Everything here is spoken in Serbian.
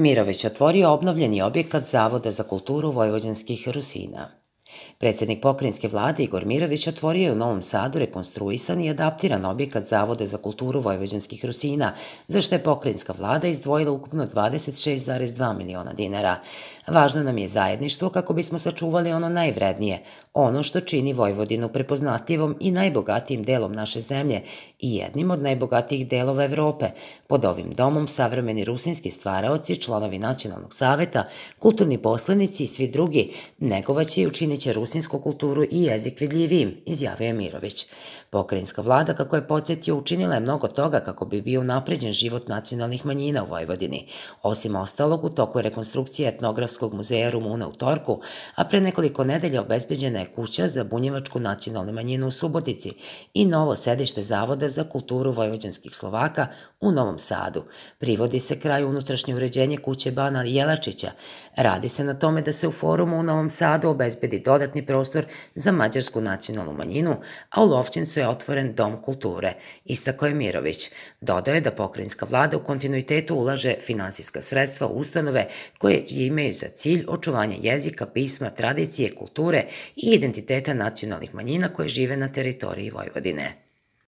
Mirović otvorio obnovljeni objekat Zavoda za kulturu vojvođanskih Rusina. Predsednik pokrajinske vlade Igor Mirović otvorio je u Novom Sadu rekonstruisan i adaptiran objekat Zavoda za kulturu vojvođanskih Rusina, za što je pokrajinska vlada izdvojila ukupno 26,2 miliona dinara. Važno nam je zajedništvo kako bismo sačuvali ono najvrednije, ono što čini Vojvodinu prepoznatljivom i najbogatijim delom naše zemlje i jednim od najbogatijih delova Evrope. Pod ovim domom savremeni rusinski stvaraoci, članovi Nacionalnog saveta, kulturni poslanici i svi drugi negovaće i učiniće rusinsku kulturu i jezik vidljivijim, izjavio je Mirović. Pokrajinska vlada, kako je podsjetio, učinila je mnogo toga kako bi bio unapređen život nacionalnih manjina u Vojvodini. Osim ostalog, u toku je rekonstrukcija etnografskog muzeja Rumuna u Torku, a pre nekoliko nedelja obezbeđena je kuća za bunjevačku nacionalnu manjinu u Subotici i novo sedište Zavoda za kulturu vojvođanskih Slovaka u Novom Sadu. Privodi se kraju unutrašnje uređenje kuće Bana Jelačića. Radi se na tome da se u forumu u Novom Sadu obezbedi dodatni prostor za mađarsku nacionalnu manjinu, a u Lovćencu je otvoren Dom kulture, istakao je Mirović. Dodao je da pokrajinska vlada u kontinuitetu ulaže finansijska sredstva u ustanove koje imaju za cilj očuvanje jezika, pisma, tradicije, kulture i identiteta nacionalnih manjina koje žive na teritoriji Vojvodine.